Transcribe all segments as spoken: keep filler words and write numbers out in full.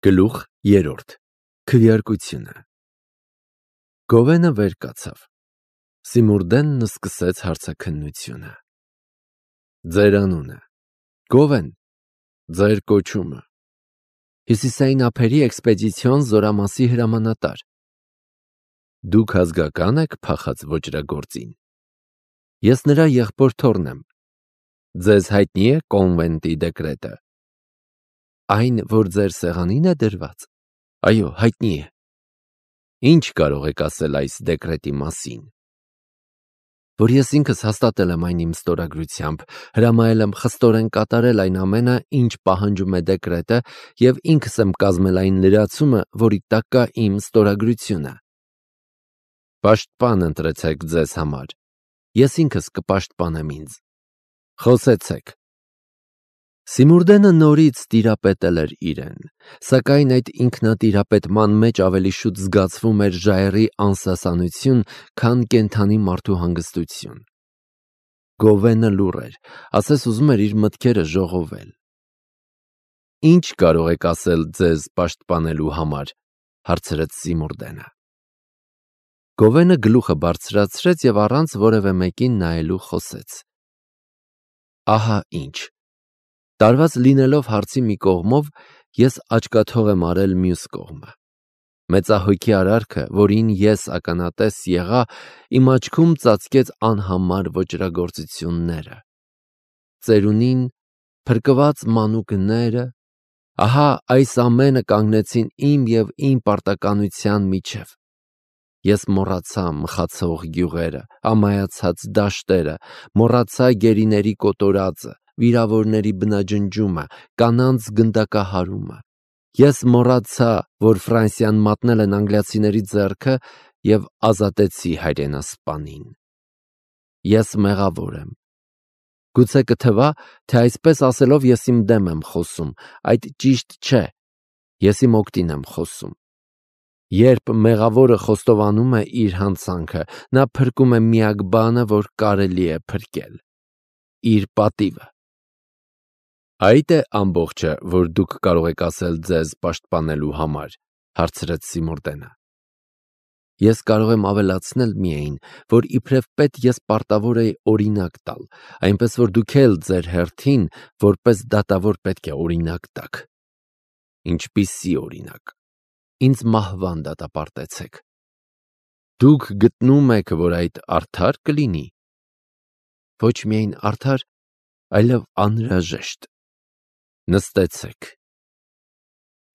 Գլուխ երրորդ Քվեարկությունը Գովենը վեր կացավ։ Սիմուրդենն սկսեց հարցաքննությունը։ Ձեր անունը։ Գովեն։ Ձեր կոչումը։ Հյուսիսային ափերի էքսպեդիցիոն զորամասի հրամանատար։ Դուք ազգական եք փախած ոճրագործին։ Ես նրա եղբոր թոռն եմ։ Ձեզ հայտնի է կոնվենտի դեկրետը։ Այն, որ ձեր սեղանին է դրված։ Այո, հայտնի է։ Ինչ կարող եք ասել այս դեկրետի մասին։ Որ ես ինքս հաստատել եմ այն իմ ստորագրությամբ, հրամայել եմ խստորեն կատարել այն ամենը, ինչ պահանջում է դեկրետը, և ինքս եմ կազմել այն լրացումը, որի տակ կա իմ ստորագրությունը։ Պաշտպան ընտրեցեք ձեզ համար։ Ես ինքս կպաշտպանեմ ինձ։ Խոսեցեք։ Սիմուրդենը նորից տիրապետել էր իրեն, սակայն այդ ինքնատիրապետման մեջ ավելի շուտ զգացվում էր ժայռի անսասանություն, քան կենդանի մարդու հանգստություն։ Գովենը լուռ էր, ասես ուզում էր իր մտքերը ժողովել։ Ինչ կարող եք ասել ձեզ պաշտպանելու համար, հարցրեց Սիմուրդենը։ Գովենը գլուխը բարձրացրեց և առանց որևէ մեկին նայելու խոսեց։ Ահա ինչ։ Տարված լինելով հարցի մի կողմով, ես աչկաթող եմ արել մյուս կողմը։ Մեծահոգի արարքը, որին ես ականատես եղա, իմ աչքում ծածկեց անհամար ոճրագործությունները։ Ծերունին, փրկված մանուկները, ահա այս ամենը կանգնեցին իմ և իմ պարտականության միջև։ Ես մոռացա մխացող գյուղերը, ամայացած դաշտերը, մոռացա գերիների կոտորածը, վիրավորների բնաջնջումը, կանանց գնդակահարումը։ Ես մոռացա, որ Ֆրանսիան մատնել են անգլիացիների ձեռքը և ազատեցի հայրենասպանին։ Ես մեղավոր եմ։ Գուցե կթվա, թե այսպես ասելով ես իմ դեմ եմ խոսում, այդ ճիշտ չէ, ես իմ օգտին եմ խոսում։ Երբ մեղավորը խոստովանում է իր հանցանքը, նա փրկում է միակ բանը, որ կարելի է փրկել՝ իր պատիվը։ Այդ է ամբողջը, որ դուք կարող եք ասել ձեզ պաշտպանելու համար, հարցրեց Սիմուրդենը։ Ես կարող եմ ավելացնել միայն, որ իբրև պետ ես պարտավոր էի օրինակ տալ, այնպես որ դուք էլ ձեր հերթին, որպես դատավոր պետք է օրինակ տաք։ Ինչպիսի օրինակ։ Ինձ մահվան դատապարտեցեք։ Դուք գտնում եք, որ այդ արդար կլինի։ Ոչ միայն արդար, այլև անհրաժեշտ։ Նստեցեք։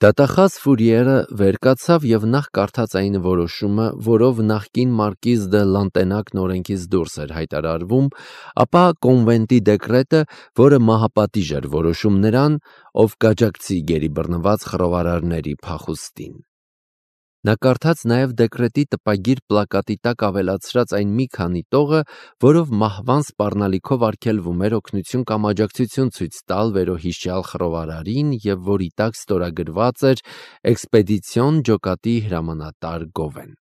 Դատախազ Ֆուրիերը վեր կացավ և նախ կարդաց այն որոշումը, որով նախկին մարկիզ դե Լանտենակն օրենքից դուրս էր հայտարարվում, ապա կոնվենտի դեկրետը, որը մահապատիժ էր որոշում նրան, ով կաջակցի գերի բռնված խռովարարների փախուստին։ Նա կարդաց նաև դեկրետի տպագիր պլակատի տակ ավելացրած այն մի քանի տողը, որով մահվան սպառնալիքով արգելվում էր օգնություն կամ աջակցություն ցույց տալ վերոհիշյալ խռովարարին և որի տակ ստորագրված էր էքսպեդիցիոն ջոկատի հրամանատար Գովեն։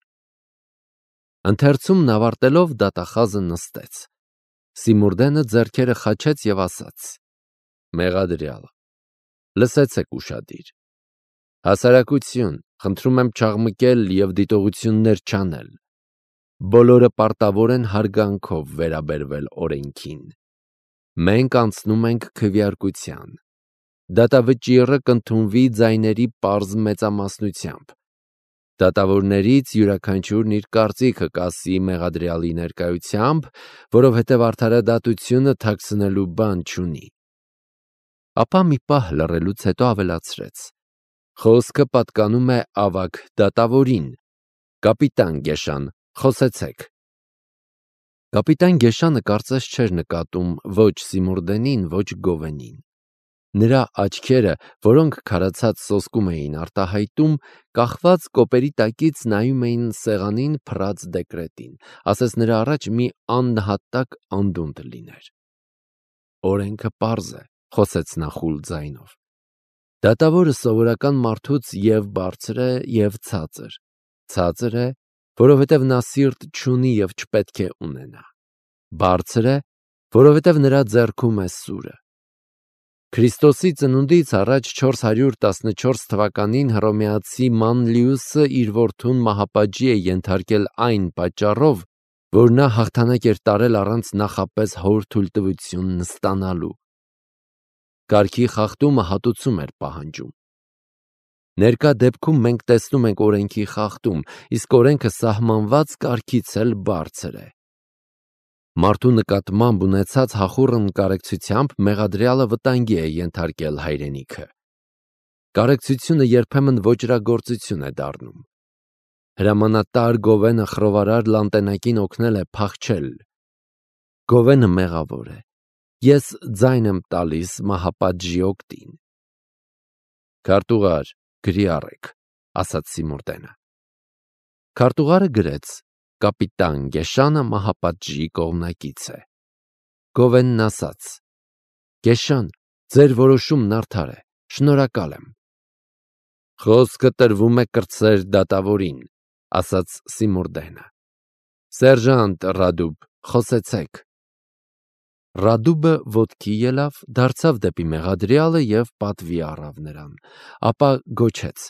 Ընթերցումն ավարտելով դատախազը նստեց։ Սիմուրդենը ձեռքերը խաչեց և ասաց. Մեղադրյալ, լսեցեք ուշադիր։ Հասարակություն, խնդրում եմ չաղմկել և դիտողություններ չանել։ Բոլորը պարտավոր են հարգանքով վերաբերվել օրենքին։ Մենք անցնում ենք քվեարկության։ Դատավճիռը կընդունվի ձայների պարզ մեծամասնությամբ։ Դատավորներից յուրաքանչյուրն իր կարծիքը կասի մեղադրյալի ներկայությամբ, որովհետև արդարադատությունը թաքցնելու բան չունի։ Ապա մի պահ լռելուց հետո ավելացրեց. Խոսքը պատկանում է ավագ դատավորին։ Կապիտան Գեշան, խոսեցեք։ Կապիտան Գեշանը կարծես չէր նկատում ոչ Սիմուրդենին, ոչ Գովենին։ Նրա աչքերը, որոնք քարացած սոսկում էին արտահայտում, կախված կոպերի տակից նայում էին սեղանին փռած դեկրետին, ասես նրա առաջ մի աննահատակ անդունդ լիներ։ Օրենքը պարզ է, խոսեց նա խուլ ձայնով։ Դատավորը սովորական մարդուց և բարձր է, և ցածր։ Ցածր է, որովհետև նա սիրտ չունի և չպետք է ունենա։ Բարձր է, որովհետև նրա ձեռքում է սուրը։ Քրիստոսի ծնունդից առաջ չորս հարյուր տասնչորս թվականին հռոմեացի Մանլիուսը իր որդուն մահապատժի է ենթարկել այն պատճառով, որ նա հաղթանակ էր տարել առանց նախապես հոր թույլտվություն ստանալու։ Կարգի խախտումը հատուցում էր պահանջում։ Ներկա դեպքում մենք տեսնում ենք օրենքի խախտում, իսկ օրենքը սահմանված կարգից էլ բարձր է։ Մարդու նկատմամբ ունեցած հախուռն կարեկցությամբ մեղադրյալը վտանգի է ենթարկել հայրենիքը։ Կարեկցությունը երբեմն ոճրագործություն է դառնում։ Հրամանատար Գովենը խռովարար Լանտենակին օգնել է փախչել։ Գովենը մեղավոր է։ Ես ձայն եմ տալիս մահապատժի օգտին։ Քարտուղար, գրի առեք, ասաց Սիմուրդենը։ Քարտուղարը գրեց. կապիտան Գեշանը մահապատժի կողմնակից է։ Գովենն ասաց. Գեշան, ձեր որոշումն արդար է, շնորհակալ եմ։ Խոսքը տրվում է կրտսեր դատավորին, ասաց Սիմուրդենը։ Սերժանտ Ռադուբ, խոսեցեք։ Ռադուբը ոտքի ելավ, դարձավ դեպի մեղադրյալը և պատվի առավ նրան, ապա գոչեց.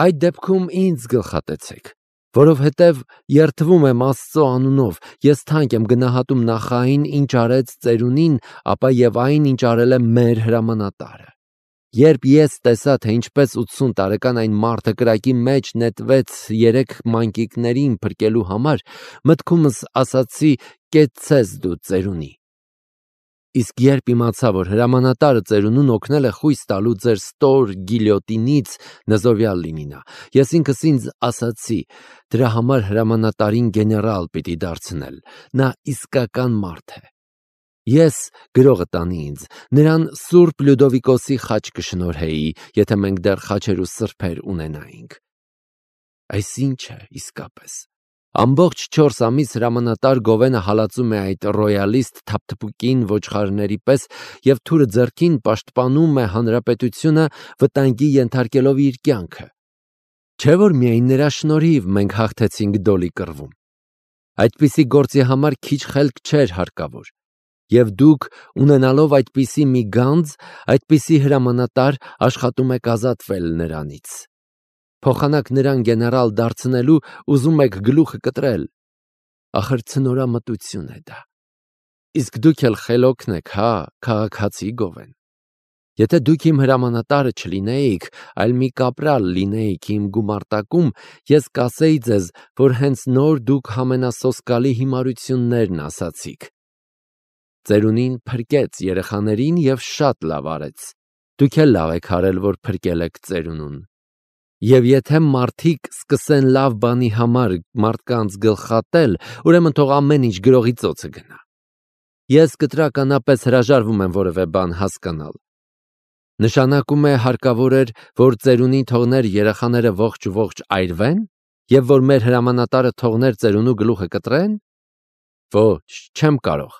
Այդ դեպքում ինձ գլխատեցեք, որովհետև երդվում եմ Աստծո անունով, ես թանկ եմ գնահատում նախ այն, ինչ արեց ծերունին, ապա և այն, ինչ արել է մեր հրամանատարը։ Երբ ես տեսա, թե ինչպես ութսուն տարեկան այն մարդը կրակի մեջ նետվեց երեք մանկիկներին փրկելու համար, մտքումս ասացի, կեցցես դու ծերունի։ Իսկ երբ իմացա, որ հրամանատարը ծերունուն օգնել է խույս տալու ձեր ստոր գիլյոտինից, նզովյալ լինի նա, ես ինքս ինձ ասացի, դրա համար հրամանատարին գեներալ պիտի դարձնել, նա իսկական մարդ է։ Ես գրողը տանի ինձ, նրան Սուրբ Լյուդովիկոսի խաչ կշնորհեի, եթե մենք դեռ խաչեր ու սրբեր ունենայինք։ Այս ինչ է իսկապես։ Ամբողջ չորս ամիս հրամանատար Գովենը հալածում է այդ ռոյալիստ թափթփուկին ոչխարների պես և թուրը ձեռքին պաշտպանում է հանրապետությունը, վտանգի ենթարկելով իր կյանքը։ Չէ՞ որ միայն նրա շնորհիվ մենք հաղթեցինք Դոլի կռվում։ Այդպիսի գործի համար քիչ խելք չէր հարկավոր։ Եվ դուք, ունենալով այդպիսի մի գանձ, այդպիսի հրամանատար, աշխատում եք ազատվել նրանից։ Փոխանակ նրան գեներալ դարձնելու ուզում եք գլուխը կտրել։ Ախր ցնորամտություն է դա։ Իսկ դուք էլ խելոքն եք, հա, քաղաքացի Գովեն։ Եթե դուք իմ հրամանատարը չլինեիք, այլ մի կապրալ լինեիք իմ գումարտակում, ես կասեի ձեզ, որ հենց նոր դուք ամենասոսկալի հիմարություններն ասացիք։ Ծերունին փրկեց երեխաներին և շատ լավ արեց։ Դուք էլ լավ եք արել, որ փրկել եք ծերունուն։ Եվ եթե մարդիկ սկսեն լավ բանի համար մարդկանց գլխատել, ուրեմն թող ամեն ինչ գրողի ծոցը գնա։ Ես կտրականապես հրաժարվում եմ որևէ բան հասկանալ։ Նշանակում է հարկավոր էր, որ ծերունին թողներ երեխաները ողջ-ողջ այրվեն, և որ մեր հրամանատարը թողներ ծերունու գլուխը կտրեն։ Ոչ, չեմ կարող։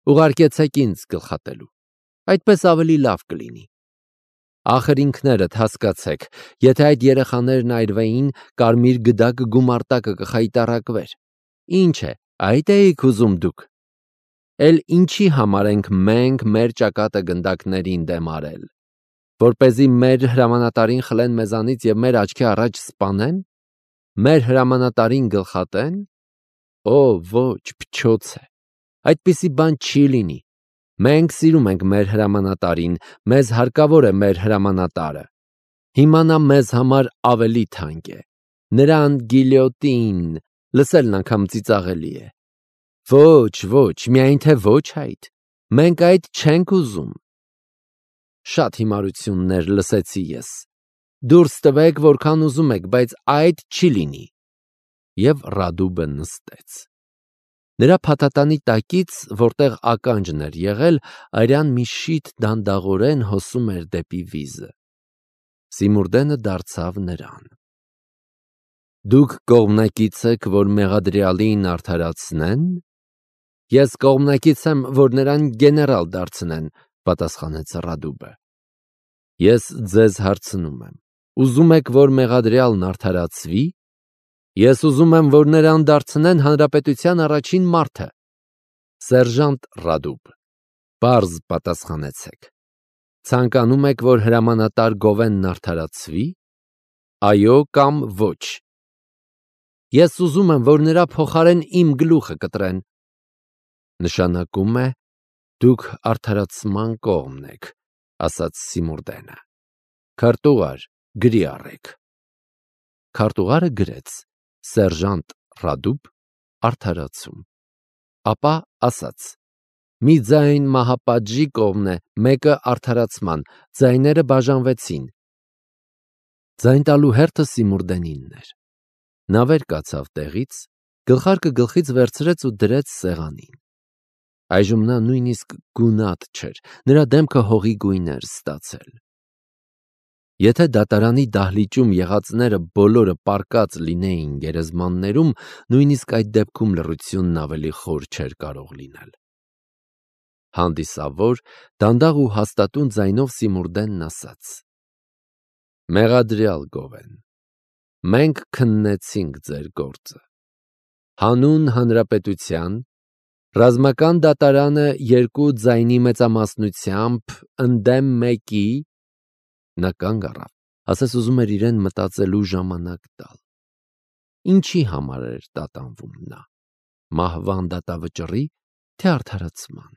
Ուղարկեցեք ինձ գլխատելու։ Այդպես ավելի լավ կլինի։ Ախր ինքներդ հասկացեք, եթե այդ երեխաներն այրվեին, կարմիր գդակը գումարտակը կխայտառակվեր։ Ինչ է, այդ էիք ուզում դուք։ Էլ ինչի համար ենք մենք մեր ճակատը գնդակներին դեմ արել, որպեսզի մեր հրամանատարին խլեն մեզանից և մեր աչքի առաջ սպանեն, մեր հրամանատարին գլխատեն։ Օ, ոչ, փչոց է, այդպիսի բան չի լինի։ Մենք սիրում ենք մեր հրամանատարին, մեզ հարկավոր է մեր հրամանատարը։ Հիմա նա մեզ համար ավելի թանկ է։ Նրան գիլյոտին, լսելն անգամ ծիծաղելի է։ Ոչ, ոչ, միայն թե ոչ այդ։ Մենք այդ չենք ուզում։ Շատ հիմարություններ լսեցի ես։ Դուրս տվեք, որքան ուզում եք, բայց այդ չի լինի։ Եվ Ռադուբը նստեց։ Նրա փաթաթանի տակից, որտեղ ականջն էր եղել, արյան մի շիթ դանդաղորեն հոսում էր դեպի վիզը։ Սիմուրդենը դարձավ նրան։ Դուք կողմնակից եք, որ մեղադրյալին արդարացնեն։ Ես կողմնակից եմ, որ նրան գեներալ դարձնեն, պատասխանեց Ռադուբը։ Ես ձեզ հարցնում եմ. ուզում եք, որ մեղադրյալն արդարացվի։ Ես ուզում եմ, որ նրան դարձնեն հանրապետության առաջին մարդը։ Սերժանտ Ռադուբ, պարզ պատասխանեցեք։ Ցանկանում եք, որ հրամանատար Գովենն արդարացվի, այո կամ ոչ։ Ես ուզում եմ, որ նրա փոխարեն իմ գլուխը կտրեն։ Նշանակում է, դուք արդարացման կողմն եք, ասաց Սիմուրդենը։ Քարտուղար, գրի առեք։ Քարտուղարը գրեց սերժանտ Ռադուբ արդարացում, ապա ասաց. մի ձայն մահապատժի կողմն է, մեկը արդարացման, ձայները բաժանվեցին։ Ձայն տալու հերթը Սիմուրդենինն էր։ Նա վեր կացավ տեղից, գլխարկը գլխից վերցրեց ու դրեց սեղանին։ Այժմ նա նույնիսկ գունատ չէր, նրա դեմքը հողի գույն էր ստացել։ Եթե դատարանի դահլիճում եղածները բոլորը պառկած լինեին գերեզմաններում, նույնիսկ այդ դեպքում լռությունն ավելի խոր չէր կարող լինել։ Հանդիսավոր, դանդաղ ու հաստատուն ձայնով Սիմուրդենն ասաց. Մեղադրյալ Գովեն, մենք քննեցինք ձեր գործը։ Հանուն հանրապետության, ռազմական դատարանը երկու ձայնի մեծամասնությամբ ընդդեմ մեկի, նա կանգ առավ, ասես ուզում էր իրեն մտածելու ժամանակ տալ։ Ինչի համար էր տատանվում նա, մահվան դատավճռի, թե արդարացման։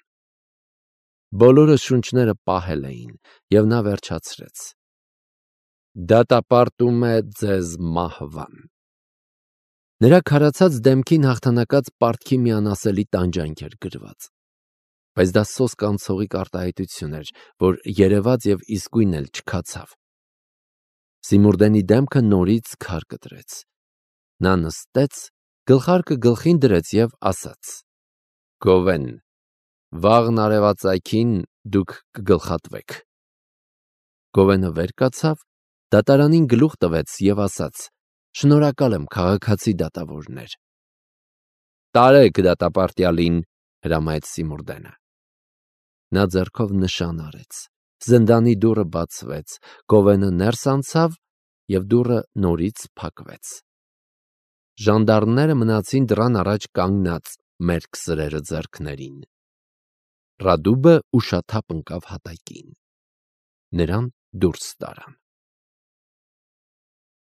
Բոլորը շունչները պահել էին, և նա վերջացրեց. դատապարտում է ձեզ մահվան։ Նրա քարացած դեմքին հաղթանակած պարտքի մի անասելի տանջանք էր գրված։ Բայց դա սոսկ անցողիկ արտահայտություն էր, որ երևաց և իսկույն էլ չքացավ։ Սիմուրդենի դեմքը նորից քար կտրեց։ Նա նստեց, գլխարկը գլխին դրեց և ասաց. Գովեն, վաղն արևածագին դուք կգլխատվեք։ Գովենը վեր կացավ, դատարանին գլուխ տվեց և ասաց. շնորհակալ եմ, քաղաքացի դատավորներ։ Տարեք դատապարտյալին, հրամայեց Սիմուրդենը։ Նա ձեռքով նշան արեց, զնդանի դուռը բացվեց, Գովենը ներս անցավ և դուռը նորից փակվեց։ Ժանդարմները մնացին դռան առաջ կանգնած մերկ սրերը ձեռքներին։ Ռադուբը ուշաթափ ընկավ հատակին։ Նրան դուրս տարան։